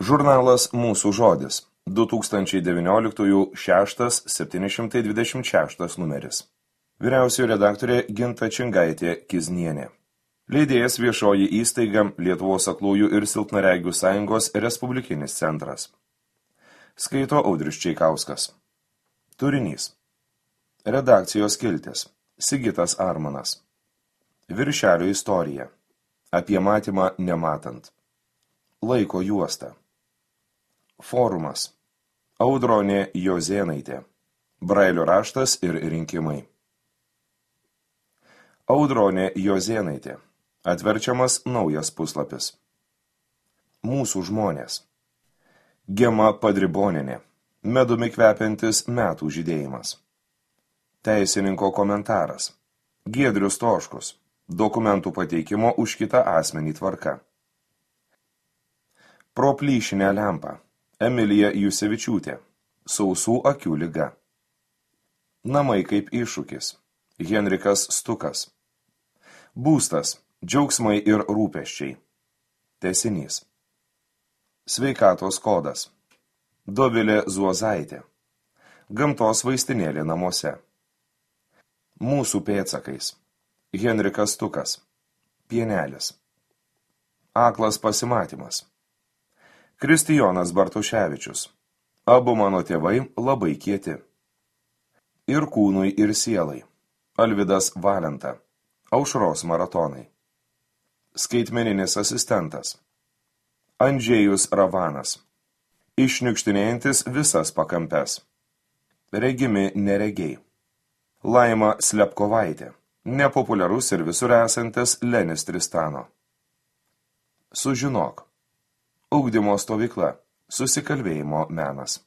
Žurnalas Mūsų žodis, 2019-6-726 numeris. Vyriausioji redaktorė Ginta Čingaitė Kiznienė. Leidėjas viešoji įstaiga Lietuvos aklųjų ir silpnaregių sąjungos Respublikinis centras. Skaito Audrius Čeikauskas. Turinys. Redakcijos skiltis. Sigitas Armanas. Viršelio istorija. Apie matymą nematant. Laiko juosta. Forumas. Audronė Jozėnaitė. Brailio raštas ir rinkimai. Audronė Jozėnaitė. Atverčiamas naujas puslapis. Mūsų žmonės. Gema Padribonienė. Medumi kvepiantis metų žydėjimas. Teisininko komentaras. Giedrius Toškus. Dokumentų pateikimo už kitą asmenį tvarka. Pro plyšinę lempą. Emilija Jusevičiūtė. Sausų akių liga. Namai kaip iššūkis. Henrikas Stukas. Būstas. Džiaugsmai ir rūpesčiai. Tęsinys. Sveikatos kodas. Dovilė Zuozaitė. Gamtos vaistinėlė namuose. Mūsų pėdsakais. Henrikas Stukas. Pienelis. Aklas pasimatymas. Kristijonas Bartuševičius. Abu mano tėvai labai kieti. Ir kūnui, ir sielai. Alvydas Valenta. Aušros maratonai. Skaitmeninis asistentas. Andžėjus Ravanas. Išniukštinėjantis visas pakampes. Regimi neregiai. Laima Slepkovaitė. Nepopuliarus ir visur esantis Lenis Tristano. Sužinok. Ugdymo stovykla. Susikalbėjimo menas.